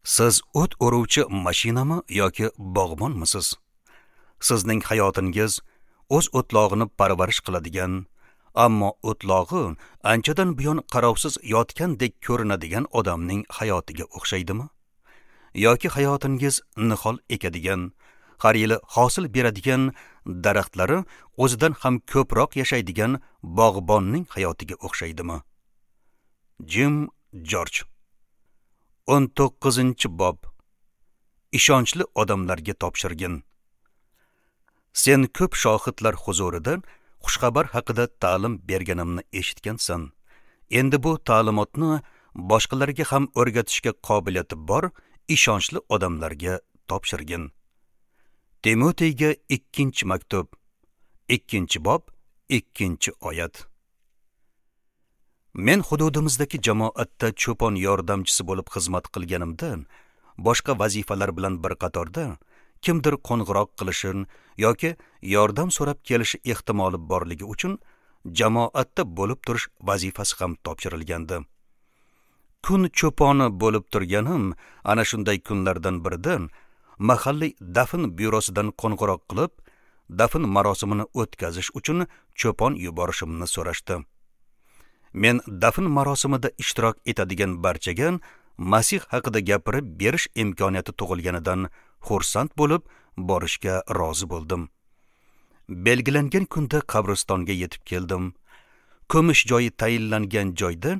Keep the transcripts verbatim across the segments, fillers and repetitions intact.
Siz o't o'ruvchi mashinami yoki bog'bonmisiz? Sizning hayotingiz o'z o'tlog'ini parvarish qiladigan, ammo o'tlog'i anchadan buyon qarovsiz yotgandek ko'rinadigan odamning hayotiga o'xshaydimi? Yoki hayotingiz nihol ekadigan, har yili hosil beradigan daraxtlari o'zidan ham ko'proq yashaydigan bog'bonning hayotiga o'xshaydimi? Jim Jorj. o'n to'qqizinchi bob. Ishonchli odamlarga topshirgin. Sen ko'p shohidlar huzurida xushxabar haqida ta'lim berganimni eshitgansan. Endi bu ta'limotni boshqalarga ham o'rgatishga qobiliyati bor ishonchli odamlarga topshirgin. Timoteyga ikkinchi maktub, ikkinchi bob, ikkinchi oyat. Men hududimizdagi jamoatda cho'pon yordamchisi bo'lib xizmat qilganimda, boshqa vazifalar bilan bir qatorda kimdir qo'ng'iroq qilishi yoki yordam so'rab kelishi ehtimoli borligi uchun jamoatda bo'lib turish vazifasi ham topshirilgandi. Kun cho'poni bo'lib turganim ana shunday kunlardan birida mahalliy dafn byurosidan qo'ng'iroq qilib, dafn marosimini o'tkazish uchun cho'pon yuborishimni so'rashdi. Men dafn marosimida ishtirok etadigan barchaga Masih haqida gapirib berish imkoniyati tug'ilganidan xursand bo'lib borishga rozi bo'ldim. Belgilangan kunda qabristonga yetib keldim. Ko'mish joyi tayinlangan joyda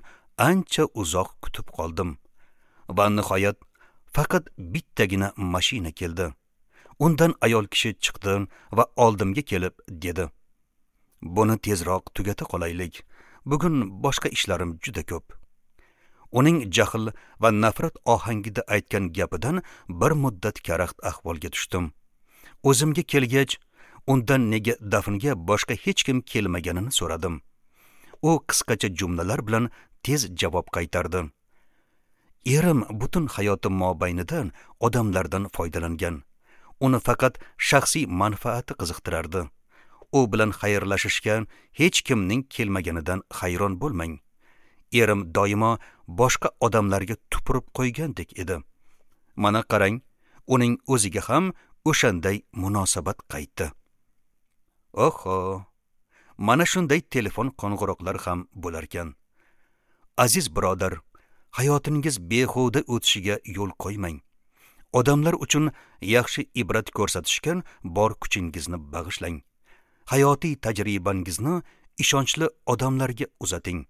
ancha uzoq kutib qoldim. Va nihoyat faqat bittagina mashina keldi. Undan ayol kishi chiqdi va oldimga kelib dedi: "Buni tezroq tugata qolaylik. Bugun boshqa ishlarim juda ko'p." Uning jahl va nafrat ohangida aytgan gapidan bir muddat karaxt ahvolga tushdim. O'zimga kelgach, undan nega dafnga boshqa hech kim kelmaganini so'radim. U qisqacha jumlalar bilan tez javob qaytardi. Erim butun hayoti mobaynida odamlardan foydalangan. Uni faqat shaxsiy manfaati qiziqtirardi. U bilan xayrlashishga hech kimning kelmaganidan hayron bo'lmang. Erim doimo boshqa odamlarga tupurib qo'ygandek edi. Mana qarang, uning o'ziga ham o'shanday munosabat qaytdi. Oho, mana shunday telefon qo'ng'iroqlari ham bo'larkan. Aziz birodar, hayotingiz behuda o'tishiga yo'l qo'ymang. Odamlar uchun yaxshi ibrat ko'rsatishga bor kuchingizni bag'ishlang. Hayotiy tajribangizni ishonchli odamlarga uzating.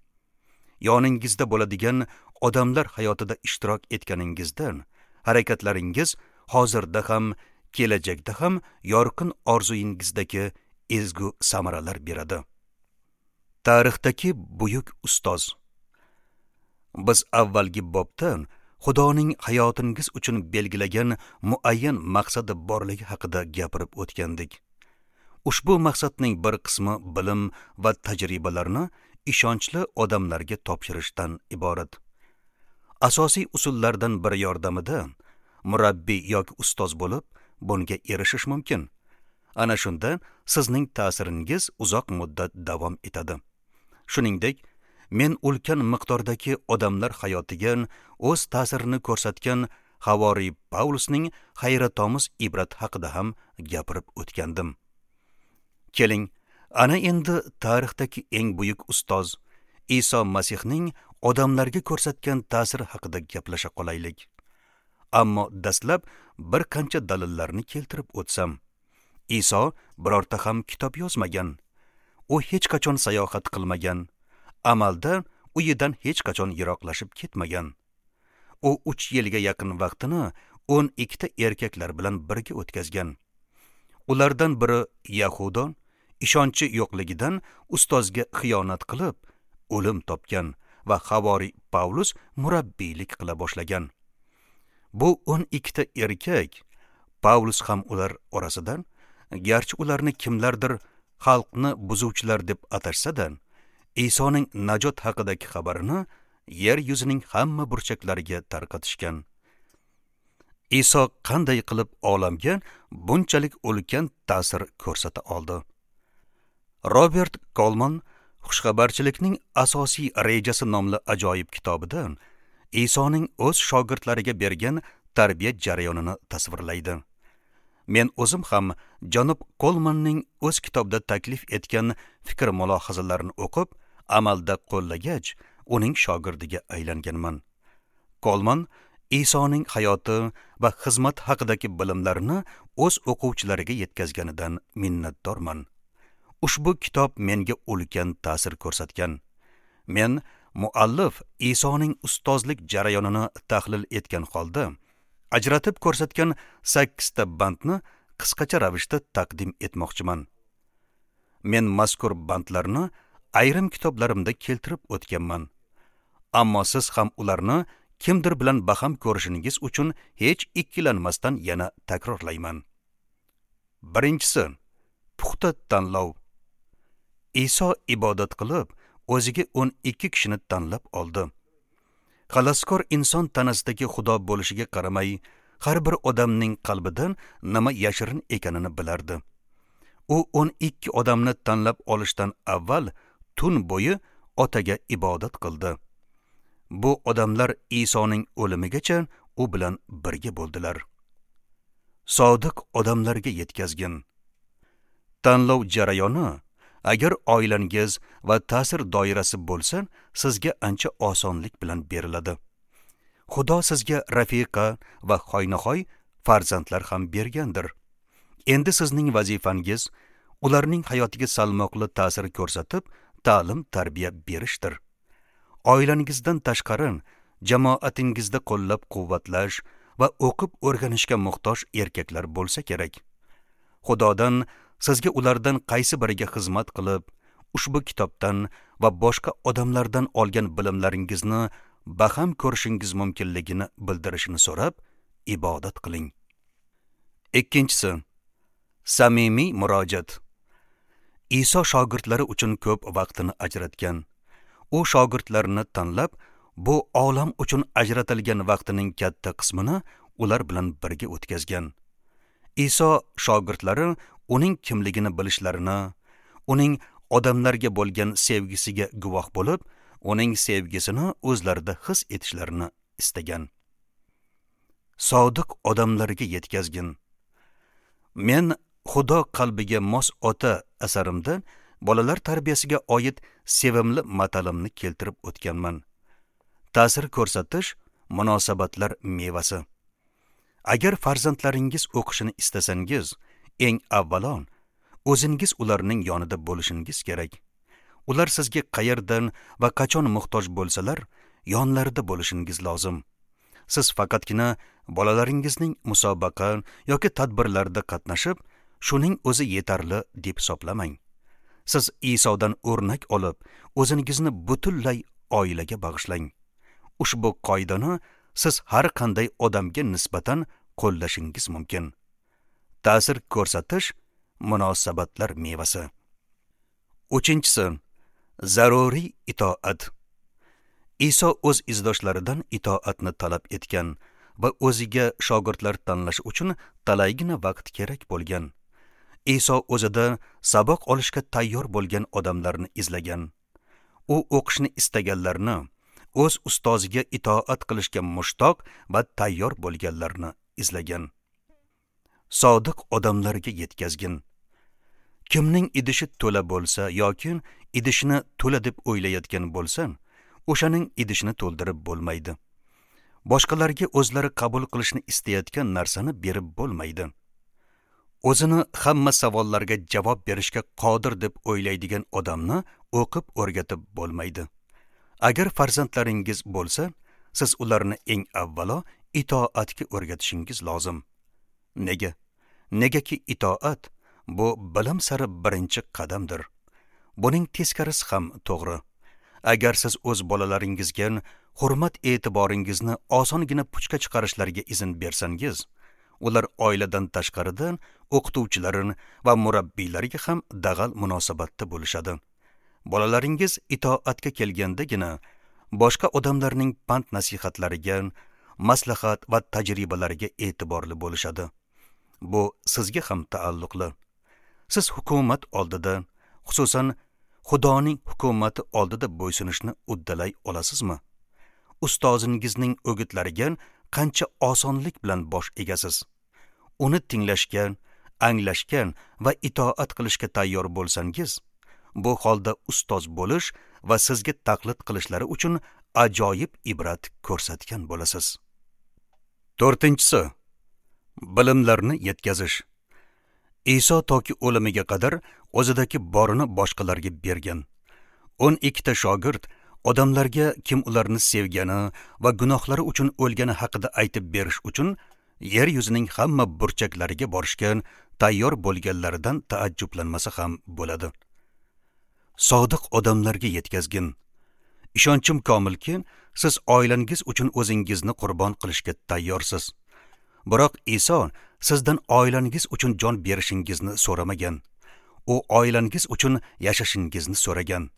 Yoningizda bo'ladigan odamlar hayotida ishtirok etganingizdan harakatlaringiz hozirda ham, kelajakda ham yorqin orzuyingizdagi ezgu samaralar beradi. Tarixdagi buyuk ustoz. Biz avvalgi bobda Xudoning hayotingiz uchun belgilagan muayyan maqsadi borligi haqida gapirib o'tgandik. Ushbu maqsadning bir qismi bilim va tajribalarni ishonchli odamlarga topshirishdan iborat. Asosiy usullardan biri yordamida murabbiy yoki ustoz bo'lib bunga erishish mumkin. Ana shunda sizning ta'siringiz uzoq muddat davom etadi. Shuningdek, men ulkan miqdordagi odamlar hayotiga o'z ta'sirini ko'rsatgan Havoriy Pavlusning hayratomuz ibrat haqida ham gapirib o'tgandim. Keling, ana endi tarixdagi eng buyuk ustoz Iso Masihning odamlarga ko'rsatgan ta'siri haqida gaplasha qolaylik. Ammo dastlab bir qancha dalillarni keltirib o'tsam. Iso birorta ham kitob yozmagan. U hech qachon sayohat qilmagan. Amalda uyidan hech qachon yiroqlashib ketmagan. U uch yilga yaqin vaqtini o'n ikkita erkaklar bilan birga o'tkazgan. Ulardan biri Yahudo ishonchi yo'qligidan ustozga xiyonat qilib o'lim topgan va Havoriy Pavlus murabbiylik qila boshlagan. Bu o'n ikkita erkak, Pavlus ham ular orasidan, garchi ularni kimlardir xalqni buzuvchilar deb atashsa-da, Isoning najot haqidagi xabarini yer yuzining hamma burchaklariga tarqatishgan. Iso qanday qilib olamga bunchalik ulkan ta'sir ko'rsata oldi? Robert Kolman Xushxabarchilikning asosiy rejasi nomli ajoyib kitobida Isoning o'z shogirdlariga bergan tarbiya jarayonini tasvirlaydi. Men o'zim ham janob Kolmanning o'z kitobida taklif etgan fikr mulohazalarini o'qib, amalda qo'llagach, uning shogirdiga aylanganman. Kolman Isoning hayoti va xizmat haqidagi bilimlarini o'z o'quvchilariga yetkazganidan minnatdorman. Ushbu kitob menga ulkan ta'sir ko'rsatgan. Men muallif Isoning ustozlik jarayonini tahlil etgan holda ajratib ko'rsatgan sakkizta bandni qisqacha ravishda taqdim etmoqchiman. Men mazkur bandlarni ayrim kitoblarimda keltirib o'tganman. Ammo siz ham ularni kimdir bilan baham ko'rishingiz uchun hech ikkilanmasdan yana takrorlayman. Birinchisi, puxta tanlov. Iso ibodat qilib, o'ziga o'n ikki kishini tanlab oldi. Xaloskor inson tanasidagi Xudo bo'lishiga qaramay, har bir odamning qalbidan nima yashirin ekanini bilardi. U o'n ikki odamni tanlab olishdan avval tun bo'yi otaga ibodat qildi. Bu odamlar Isoning o'limigacha u bilan birga bo'ldilar. Sodiq odamlarga yetkazgin. Tanlov jarayoni agar oilangiz va ta'sir doirasi bo'lsa, sizga ancha osonlik bilan beriladi. Xudo sizga rafiqa va hoynahoy farzandlar ham bergandir. Endi sizning vazifangiz ularning hayotiga salmoqli ta'sir ko'rsatib, ta'lim tarbiya berishdir. Oilangizdan tashqari jamoatingizda qo'llab-quvvatlash va o'qib o'rganishga muhtoj erkaklar bo'lsa kerak. Xudodan sizga ulardan qaysi biriga xizmat qilib, ushbu kitobdan va boshqa odamlardan olgan bilimlaringizni baham ko'rishingiz mumkinligini bildirishini so'rab, ibodat qiling. Ikkinchisi, samimiy murojaat. Iso shogirdlari uchun ko'p vaqtini ajratgan. U shogirdlarini tanlab, bu olam uchun ajratilgan vaqtining katta qismini ular bilan birga o'tkazgan. Iso shogirdlari uning kimligini bilishlarini, uning odamlarga bo'lgan sevgisiga guvoh bo'lib, uning sevgisini o'zlarida his etishlarini istagan. Sodiq odamlarga yetkazgin. Men Xudo qalbiga mos ota asarimda bolalar tarbiyasiga oid sevimli matalimni keltirib o'tganman. Ta'sir ko'rsatish munosabatlar mevasi. Agar farzandlaringiz o'qishini istasangiz, eng avvalo o'zingiz ularning yonida bo'lishingiz kerak. Ular sizga qayerdan va qachon muhtoj bo'lsalar, yonlarida bo'lishingiz lozim. Siz faqatgina bolalaringizning musobaqa yoki tadbirlarda qatnashib, shuning o'zi yetarli deb hisoblamang. Siz Isodan o'rnak olib, o'zingizni butunlay oilaga bag'ishlang. Ushbu qoidani siz har qanday odamga nisbatan qo'llashingiz mumkin. Ta'sir ko'rsatish munosabatlar mevasi. Uchinchisi, zaruriy itoat. Iso o'z izdoshlaridan itoatni talab etgan va o'ziga shogirdlar tanlash uchun talaygina vaqt kerak bo'lgan. Iso o'zida saboq olishga tayyor bo'lgan odamlarni izlagan. U o'qishni istaganlarni, o'z ustoziga itoat qilishga mushtoq va tayyor bo'lganlarni izlagan. Sodiq odamlarga yetkazgin. Kimning idishi to'la bo'lsa yoki idishini to'la deb o'ylayotgan bo'lsa, o'shaning idishini to'ldirib bo'lmaydi. Boshqalarga o'zlari qabul qilishni istayotgan narsani berib bo'lmaydi. O'zini hamma savollarga javob berishga qodir deb o'ylaydigan odamni o'qib o'rgatib bo'lmaydi. Agar farzandlaringiz bo'lsa, siz ularni eng avvalo itoatga o'rgatishingiz lozim. Nega? Negaki itoat bu bilim sari birinchi qadamdir. Buning teskarisi ham to'g'ri. Agar siz o'z bolalaringizga hurmat e'tiboringizni osongina puchga chiqarishlariga izn bersangiz, ular oiladan tashqaridan o'qituvchilarin va murabbiylariga ham dag'al munosabatda bo'lishadi. Bolalaringiz itoatga kelgandagina boshqa odamlarning pand nasihatlariga, maslahat va tajribalariga e'tiborli bo'lishadi. Bu sizga ham taalluqli. Siz hukumat oldida, xususan Xudoning hukumati oldida bo'ysunishni uddalay olasizmi? Ustozingizning o'gitlariga qancha osonlik bilan bosh egasiz. Uni tinglashga, anglashga va itoat qilishga tayyor bo'lsangiz, bu holda ustoz bo'lish va sizga taqlid qilishlari uchun ajoyib ibrat ko'rsatgan bo'lasiz. To'rtinchisi, bilimlarni yetkazish. Iso toki o'limiga qadar o'zidagi borini boshqalarga bergan. o'n ikkita shogird odamlarga kim ularni sevgani va gunohlari uchun o'lgani haqida aytib berish uchun yer yuzining hamma burchaklariga borishga tayyor bo'lganlaridan taajjublanmasa ham bo'ladi. Sodiq odamlarga yetkazgin. Ishonchim komilki, siz oilangiz uchun o'zingizni qurbon qilishga tayyorsiz. Biroq Iso sizdan oilangiz uchun jon berishingizni so'ramagan. U oilangiz uchun yashashingizni so'ragan.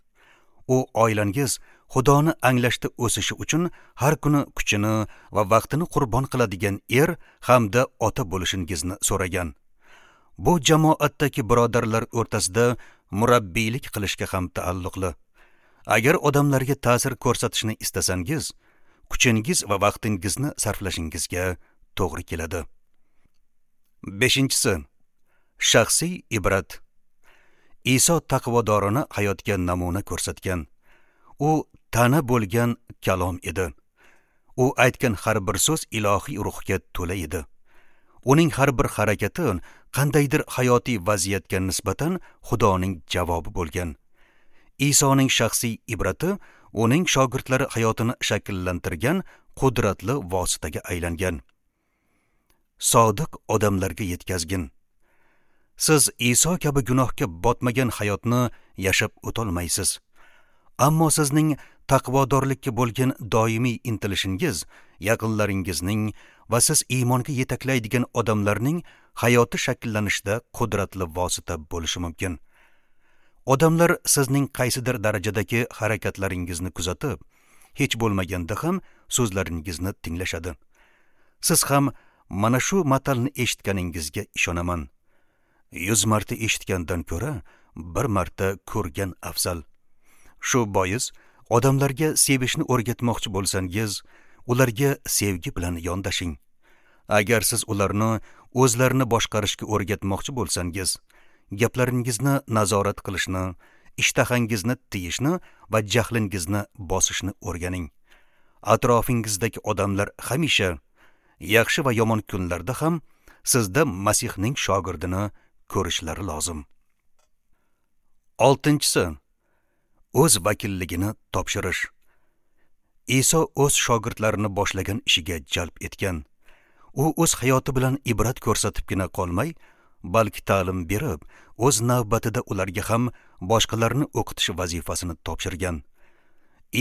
U oilangiz Xudoni anglashda o'sishi uchun har kuni kuchini va vaqtini qurbon qiladigan er hamda ota bo'lishingizni so'ragan. Bu jamoatdagi birodarlar o'rtasida murabbiylik qilishga ham taalluqli. Agar odamlarga ta'sir ko'rsatishni istasangiz, kuchingiz va vaqtingizni sarflashingizga to'g'ri keladi. Beshinchisi, shaxsiy ibrat. Iso taqvodorona hayotga namuna ko'rsatgan. U tana bo'lgan kalom edi. U aytgan har bir so'z ilohiy ruhga to'la edi. Uning har bir harakati qandaydir hayotiy vaziyatga nisbatan Xudoning javobi bo'lgan. Isoning shaxsiy ibrati uning shogirdlari hayotini shakllantirgan qudratli vositaga aylangan. Sodiq odamlarga yetkazgin. Siz Iso kabi gunohga botmagan hayotni yashab o'tolmaysiz. Ammo sizning taqvodorlikka bo'lgan doimiy intilishingiz yaqinlaringizning va siz iymonga yetaklaydigan odamlarning hayoti shakllanishida qudratli vosita bo'lishi mumkin. Odamlar sizning qaysidir darajadagi harakatlaringizni kuzatib, hech bo'lmaganda ham so'zlaringizni tinglashadi. Siz ham mana shu matalni eshitganingizga ishonaman. Yuz marta eshitgandan ko'ra bir marta ko'rgan afzal. Shu bois odamlarga sevishni o'rgatmoqchi bo'lsangiz, ularga sevgi bilan yondashing. Agar siz ularni o'zlarini boshqarishga o'rgatmoqchi bo'lsangiz, gaplaringizni nazorat qilishni, ishtahangizni tiyishni va jahlingizni bosishni o'rganing. Atrofingizdagi odamlar hamisha yaxshi va yomon kunlarda ham sizda Masihning shogirdini ko'rishlari lozim. Oltinchisi, o'z vakilligini topshirish. Iso o'z shogirdlarini boshlagan ishiga jalb etgan. U o'z hayoti bilan ibrat ko'rsatibgina qolmay, balki ta'lim berib, o'z navbatida ularga ham boshqalarni o'qitish vazifasini topshirgan.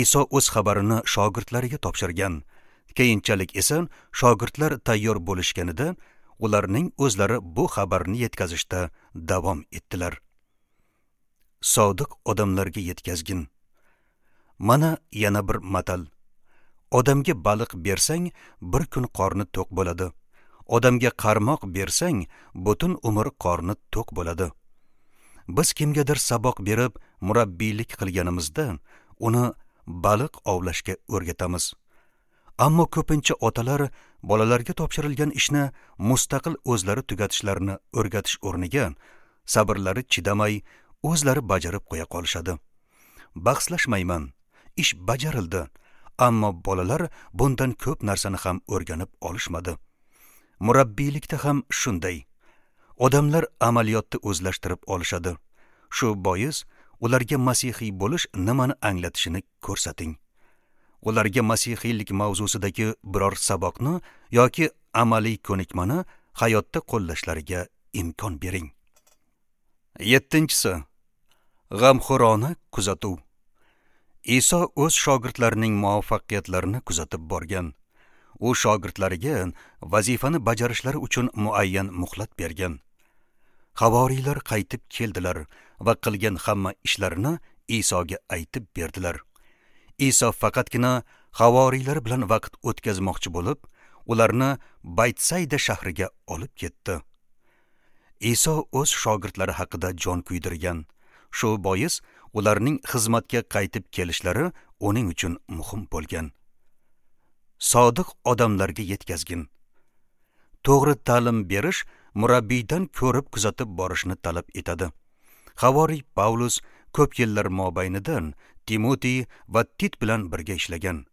Iso o'z xabarini shogirdlariga topshirgan. Keyinchalik esa shogirdlar tayyor bo'lishganida ularning o'zlari bu xabarni yetkazishda davom etdilar. Sodiq odamlarga yetkazgin. Mana yana bir matal. Odamga baliq bersang, bir kun qorni to'q bo'ladi. Odamga qarmoq bersang, butun umr qorni to'q bo'ladi. Biz kimgadir saboq berib, murabbiylik qilganimizda uni baliq ovlashga o'rgatamiz. Ammo ko'pincha otalar bolalarga topshirilgan ishni mustaqil o'zlari tugatishlarini o'rgatish o'rniga sabrlari chidamay o'zlari bajarib qo'ya qolishadi. Bahslashmayman, ish bajarildi, ammo bolalar bundan ko'p narsani ham o'rganib olishmadi. Murabbiylikda ham shunday. Odamlar amaliyotni o'zlashtirib olishadi. Shu bois ularga masihiy bo'lish nimani anglatishini ko'rsating. Ularga masihiylik mavzusidagi biror saboqni yoki amaliy ko'nikmani hayotda qo'llashlariga imkon bering. Yettinchisi, g'amxo'rona kuzatuv. Iso o'z shogirdlarining muvaffaqiyatlarini kuzatib borgan. U shogirdlariga vazifani bajarishlari uchun muayyan muhlat bergan. Havoriylar qaytib keldilar va qilgan hamma ishlarini Isoga aytib berdilar. Iso faqatgina havoriylar bilan vaqt o'tkazmoqchi bo'lib, ularni Baytsayda shahriga olib ketdi. Iso o'z shogirdlari haqida jon kuydirgan. Shu bois ularning xizmatga qaytib kelishlari uning uchun muhim bo'lgan. Sodiq odamlarga yetkazgin. To'g'ri ta'lim berish murabbiydan ko'rib kuzatib borishni talab etadi. Havoriy Pavlus ko'p yillar mobaynidan Timotey va Tit bilan birga ishlagan.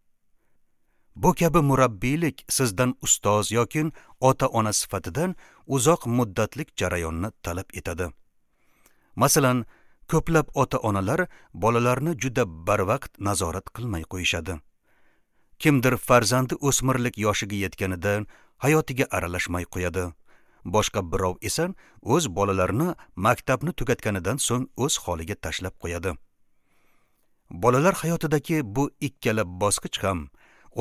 Bu kabi murabbiylik sizdan ustoz yoki ota-ona sifatidan uzoq muddatlik jarayonni talab etadi. Masalan, ko'plab ota-onalar bolalarni juda barvaqt nazorat qilmay qo'yishadi. Kimdir farzandi o'smirlik yoshiga yetganida hayotiga aralashmay qo'yadi. Boshqa birov esa o'z bolalarini maktabni tugatganidan so'ng o'z holiga tashlab qo'yadi. Bolalar hayotidagi bu ikkala bosqich ham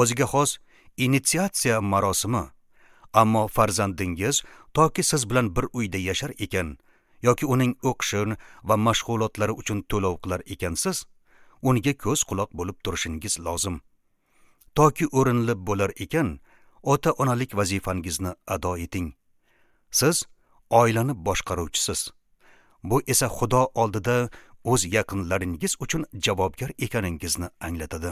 o'ziga xos initsiatsiya marosimi. Ammo farzandingiz toki siz bilan bir uyda yashar ekan yoki uning o'qishi va mashg'ulotlari uchun to'lov qilar ekansiz, unga ko'z quloq bo'lib turishingiz lozim. Toki o'rinli bo'lar ekan, ota-onalik vazifangizni ado eting. Siz oilani boshqaruvchisiz. Bu esa Xudo oldida o'z yaqinlaringiz uchun javobgar ekaningizni anglatadi.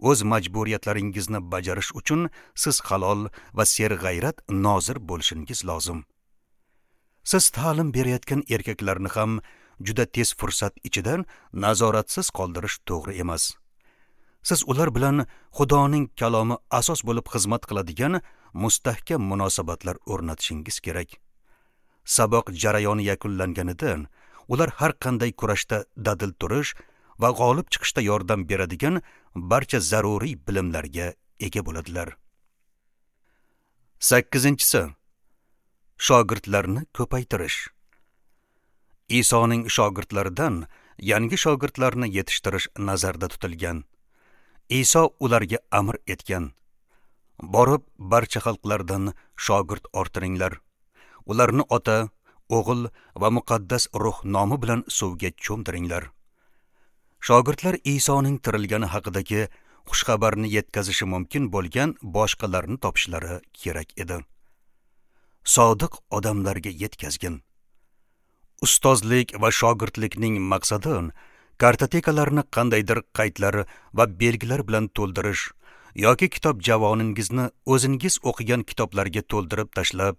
O'z majburiyatlaringizni bajarish uchun siz halol va serg'ayrat nozir bo'lishingiz lozim. Siz ta'lim berayotgan erkaklarni ham juda tez fursat ichidan nazoratsiz qoldirish to'g'ri emas. Siz ular bilan Xudoning kalomi asos bo'lib xizmat qiladigan mustahkam munosabatlar o'rnatishingiz kerak. Saboq jarayoni yakunlanganidan ular har qanday kurashda dadil turish va g'olib chiqishda yordam beradigan barcha zaruriy bilimlarga ega bo'ladilar. Sakkizinchisi, shogirdlarni ko'paytirish. Isoning shogirdlaridan yangi shogirdlarni yetishtirish nazarda tutilgan. Iso ularga amr etgan: borib barcha xalqlardan shogird orttiringlar. Ularni Ota, O'g'il va Muqaddas Ruh nomi bilan suvga cho'mdiringlar. Shogirdlar Isoning tirilgani haqidagi xushxabarni yetkazishi mumkin bo'lgan boshqalarni topishlari kerak edi. Sodiq odamlarga yetkazgin. Ustozlik va shogirdlikning maqsadi kartotekalarni qandaydir qaydlar va belgilar bilan to'ldirish yoki kitob javoningizni o'zingiz o'qigan kitoblarga to'ldirib tashlab,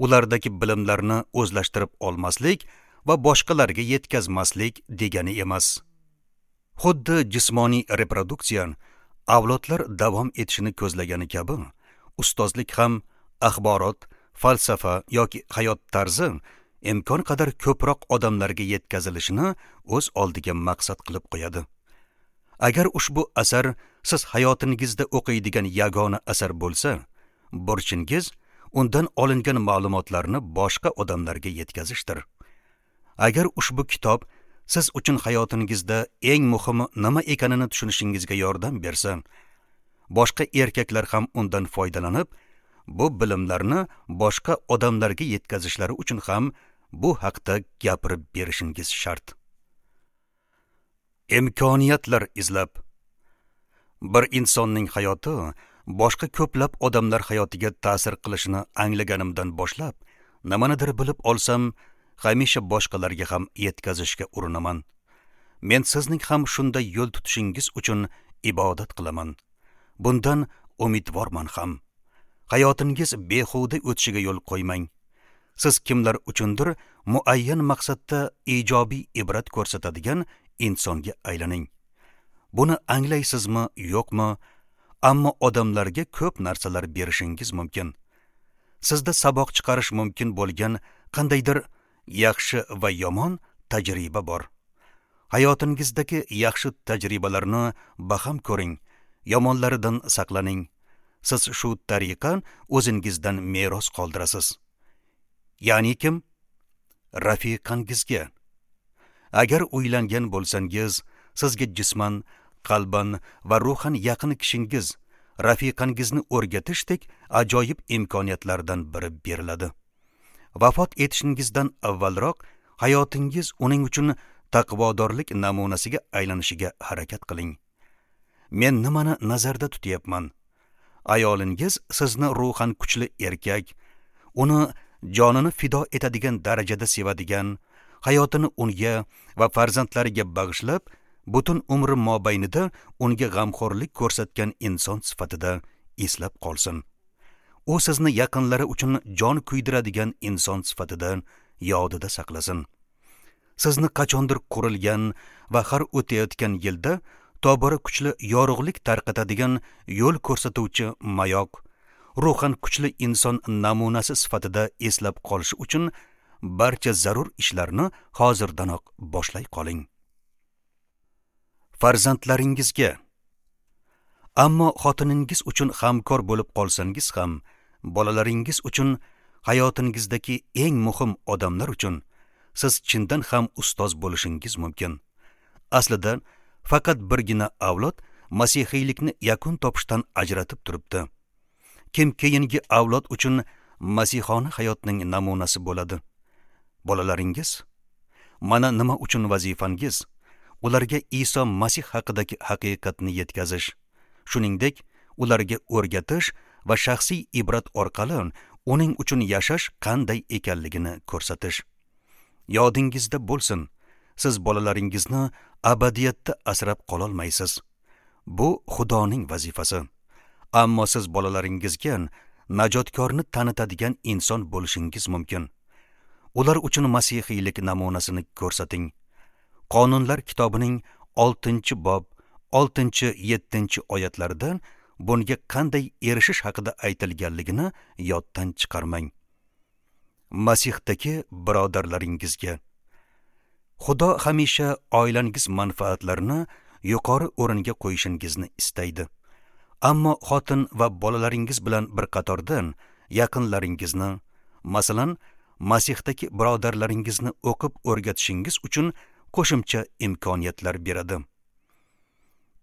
ulardagi bilimlarni o'zlashtirib olmaslik va boshqalarga yetkazmaslik degani emas. Xuddi jismoniy reproduksiya avlodlar davom etishini ko'zlagani kabi, ustozlik ham axborot, falsafa yoki hayot tarzi imkon qadar ko'proq odamlarga yetkazilishini o'z oldiga maqsad qilib qo'yadi. Agar ushbu asar siz hayotingizda o'qiydigan yagona asar bo'lsa, burchingiz undan olingan ma'lumotlarni boshqa odamlarga yetkazishdir. Agar ushbu kitob siz uchun hayotingizda eng muhimi nima ekanini tushunishingizga yordam bersa, boshqa erkaklar ham undan foydalanib, bu bilimlarni boshqa odamlarga yetkazishlari uchun ham bu haqda gapirib berishingiz shart. Imkoniyatlar izlab. Bir insonning hayoti boshqa ko'plab odamlar hayotiga ta'sir qilishini anglaganimdan boshlab, nimanidir bilib olsam, hamisha boshqalarga ham yetkazishga urinaman. Men sizning ham shunday yo'l tutishingiz uchun ibodat qilaman. Bundan umidvorman ham. Hayotingiz behuda o'tishiga yo'l qo'ymang. Siz kimlar uchundir muayyan maqsadda ijobiy ibrat ko'rsatadigan insonga aylaning. Buni anglaysizmi, yo'qmi, ammo odamlarga ko'p narsalar berishingiz mumkin. Sizda saboq chiqarish mumkin bo'lgan qandaydir yaxshi va yomon tajriba bor. Hayotingizdagi yaxshi tajribalarni baham ko'ring, yomonlaridan saqlaning. Siz shu tariqa o'zingizdan meros qoldirasiz. Ya'ni kim? Rafiqangizga. Agar uylangan bo'lsangiz, sizga jisman, qalban va ruhan yaqin kishingiz, rafiqangizni o'rgatishdek ajoyib imkoniyatlardan biri beriladi. Vafot etishingizdan avvalroq hayotingiz uning uchun taqvodorlik namunasiga aylanishiga harakat qiling. Men nimani nazarda tutyapman? Ayolingiz sizni ruhan kuchli erkak, uni jonini fido etadigan darajada sevadigan, hayotini unga va farzandlariga bag'ishlab, butun umri mobaynida unga g'amxo'rlik ko'rsatgan inson sifatida eslab qolsin. U sizni yaqinlari uchun jon kuydiradigan inson sifatida yodida saqlasin. Sizni qachondir qurilgan va har o'tayotgan yilda tobora kuchli yorug'lik tarqatadigan yo'l ko'rsatuvchi mayoq, ruhan kuchli inson namunasi sifatida eslab qolishi uchun barcha zarur ishlarni hozirdanoq boshlay qoling. Farzandlaringizga. Ammo xotiningiz uchun hamkor bo'lib qolsangiz ham, bolalaringiz uchun, hayotingizdagi eng muhim odamlar uchun siz chindan ham ustoz bo'lishingiz mumkin. Aslida faqat birgina avlod masihiylikni yakun topishdan ajratib turibdi. Kim keyingi avlod uchun masihona hayotning namunasi bo'ladi? Bolalaringiz? Mana nima uchun vazifangiz ularga Iso Masih haqidagi haqiqatni yetkazish, shuningdek ularga o'rgatish va shaxsiy ibrat orqali uning uchun yashash qanday ekanligini ko'rsatish. Yodingizda bo'lsin, siz bolalaringizni abadiyatda asrab qololmaysiz. Bu Xudoning vazifasi. Ammo siz bolalaringizga najotkorni tanitadigan inson bo'lishingiz mumkin. Ular uchun masihiylik namunasini ko'rsating. Qonunlar kitobining oltinchi bob, oltinchi yettinchi oyatlarida bunga qanday erishish haqida aytilganligini yoddan chiqarmang. Masihdagi birodarlaringizga. Xudo hamisha oilangiz manfaatlarini yuqori o'ringa qo'yishingizni istaydi. Ammo xotin va bolalaringiz bilan bir qatorda yaqinlaringizni, masalan, Masihdagi birodarlaringizni o'qib o'rgatishingiz uchun qo'shimcha imkoniyatlar beradi.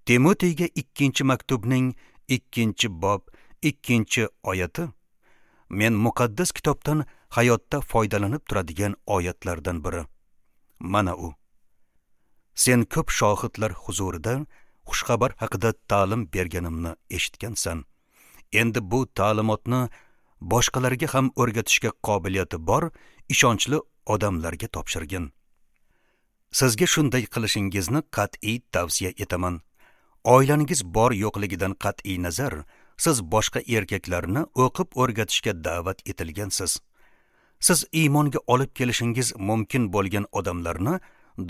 Timoteyga ikkinchi maktubning ikkinchi bob, ikkinchi oyati men muqaddas kitobdan hayotda foydalanib turadigan oyatlardan biri. Mana u. Sen ko'p shohidlar huzurida xushxabar haqida ta'lim berganimni eshitgansan. Endi bu ta'limotni boshqalarga ham o'rgatishga qobiliyati bor ishonchli odamlarga topshirgin. Sizga shunday qilishingizni qat'iy tavsiya etaman. Oilangiz bor yo'qligidan qat'iy nazar, siz boshqa erkaklarni o'qib o'rgatishga da'vat etilgansiz. Siz iymonga olib kelishingiz mumkin bo'lgan odamlarni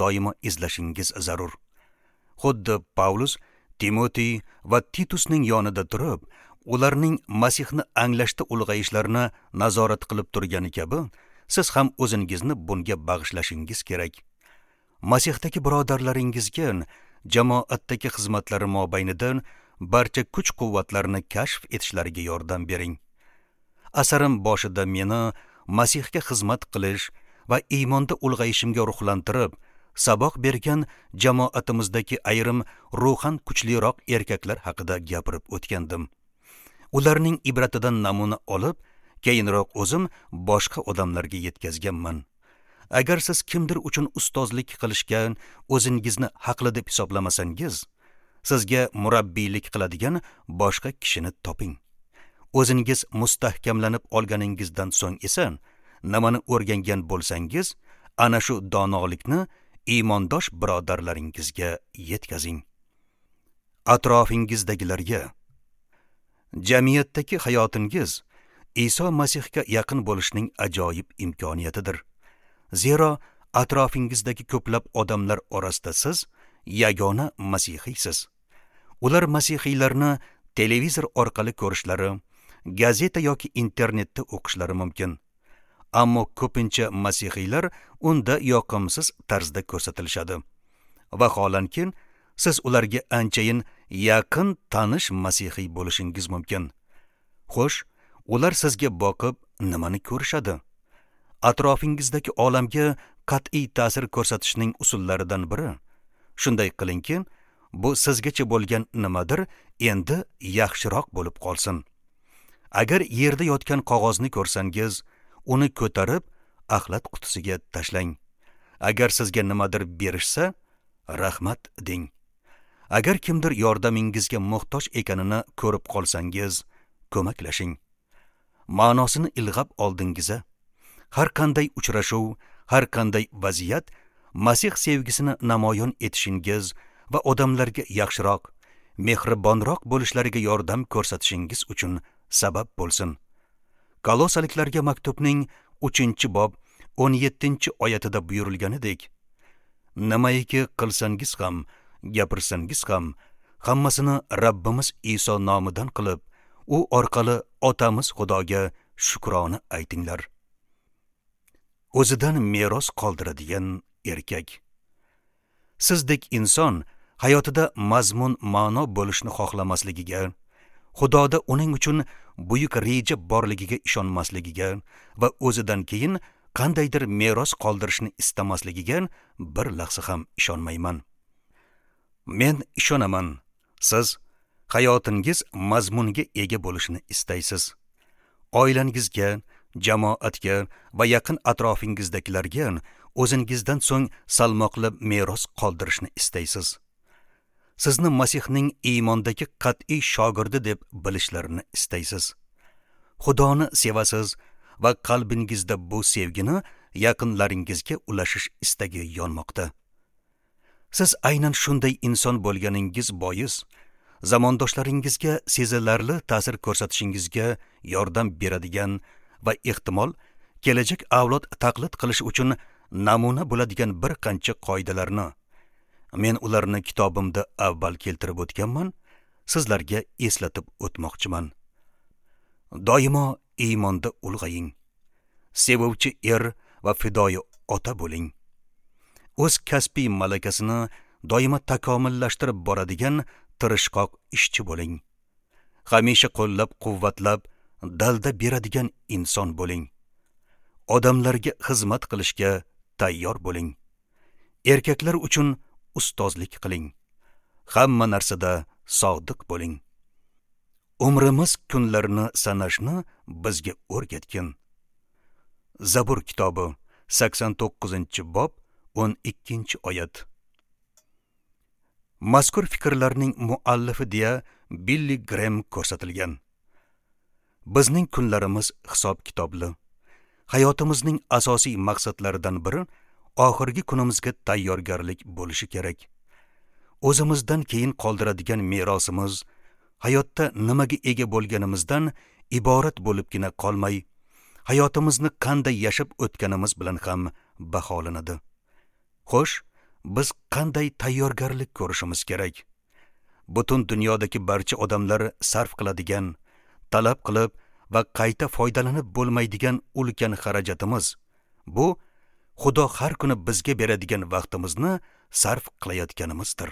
doimo izlashingiz zarur. Xuddi Pavlus, Timotey va Titusning yonida turib, ularning Masihni anglashda ulg'ayishlarini nazorat qilib turgani kabi, siz ham o'zingizni bunga bag'ishlashingiz kerak. Masihdagi birodarlaringizga jamoatdagi xizmatlari mobaynida barcha kuch-quvvatlarni kashf etishlariga yordam bering. Asarim boshida meni Masihga xizmat qilish va iymonda ulg'ayishimga ruhlantirib, saboq bergan jamoatimizdagi ayrim ruhan kuchliroq erkaklar haqida gapirib o'tgandim. Ularning ibratidan namuna olib, keyinroq o'zim boshqa odamlarga yetkazganman. Agar siz kimdir uchun ustozlik qilishga o'zingizni haqli deb hisoblamasangiz, sizga murabbiylik qiladigan boshqa kishini toping. O'zingiz mustahkamlanib olganingizdan so'ng esa nimani o'rgangan bo'lsangiz, ana shu donolikni iymondosh birodarlaringizga yetkazing. Atrofingizdagilarga. Jamiyatdagi hayotingiz Iso Masihga yaqin bo'lishning ajoyib imkoniyatidir. Zero atrofingizdagi ko'plab odamlar orasida siz yagona masihiysiz. Ular masihiylarni televizor orqali ko'rishlari, gazeta yoki internetda o'qishlari mumkin. Ammo ko'pincha masihiylar unda yoqimsiz tarzda ko'rsatilishadi. Vaholanki, siz ularga anchayin yaqin tanish masihiy bo'lishingiz mumkin. Xo'sh, ular sizga boqib nimani ko'rishadi? Atrofingizdagi olamga qat'iy ta'sir ko'rsatishning usullaridan biri. Shunday qilingki, bu sizgacha bo'lgan nimadir endi yaxshiroq bo'lib qolsin. Agar yerda yotgan qog'ozni ko'rsangiz, uni ko'tarib axlat qutisiga tashlang. Agar sizga nimadir berishsa, rahmat deng. Agar kimdir yordamingizga muhtoj ekanini ko'rib qolsangiz, ko'maklashing. Ma'nosini ilg'ab oldingiz. Har qanday uchrashuv, har qanday vaziyat Masih sevgisini namoyon etishingiz va odamlarga yaxshiroq, mehribonroq bo'lishlariga yordam ko'rsatishingiz uchun sabab bo'lsin. Kolosaliklarga maktubning uchinchi bob o'n yettinchi oyatida buyurilganidek, nimaiki qilsangiz ham, gapirsangiz ham, hammasini Rabbimiz Iso nomidan qilib, u orqali Otamiz Xudoga shukrona aytinglar. O'zidan meros qoldiradigan erkak. Sizdek inson hayotida mazmun ma'no bo'lishni xohlamasligiga, Xudoda uning uchun buyuk reja borligiga ishonmasligiga va o'zidan keyin qandaydir meros qoldirishni istamasligiga bir lahza ham ishonmayman. Men ishonaman, siz hayotingiz mazmunga ega bo'lishini istaysiz. Oilangizga, jamoatga va yaqin atrofingizdagilarga o'zingizdan so'ng salmoqli meros qoldirishni istaysiz. Sizni Masihning iymondagi qat'iy shogirdi deb bilishlarini istaysiz. Xudoni sevasiz va qalbingizda bu sevgini yaqinlaringizga ulashish istagi yonmoqda. Siz aynan shunday inson bo'lganingiz bois, zamondoshlaringizga sezilarli ta'sir ko'rsatishingizga yordam beradigan va ehtimol kelajak avlod taqlid qilish uchun namuna bo'ladigan bir qancha qoidalarni, men ularni kitobimda avval keltirib o'tganman, sizlarga eslatib o'tmoqchiman. Doimo iymonda ulg'aying. Sevuvchi er va fidoyi ota bo'ling. O'z kasbiy malakasini doimo takomillashtirib boradigan tirishqoq ishchi bo'ling. Hamisha qo'llab-quvvatlab, dalda beradigan inson bo'ling. Odamlarga xizmat qilishga tayyor bo'ling. Erkaklar uchun ustozlik qiling. Hamma narsada sodiq bo'ling. Umrimiz kunlarini sanashni bizga o'rgatgin. Zabur kitobi sakson to'qqizinchi bob o'n ikkinchi oyat. Mazkur fikrlarning muallifi deya Billi Grem ko'rsatilgan. Bizning kunlarimiz hisob-kitobli. Hayotimizning asosiy maqsadlaridan biri oxirgi kunimizga tayyorgarlik bo'lishi kerak. O'zimizdan keyin qoldiradigan merosimiz hayotda nimaga ega bo'lganimizdan iborat bo'libgina qolmay, hayotimizni qanday yashab o'tganimiz bilan ham baholanadi. Xo'sh, biz qanday tayyorgarlik ko'rishimiz kerak? Butun dunyodagi barcha odamlar sarf qiladigan, talab qilib va qayta foydalanib bo'lmaydigan ulkan xarajatimiz bu Xudo har kuni bizga beradigan vaqtimizni sarf qilayotganimizdir.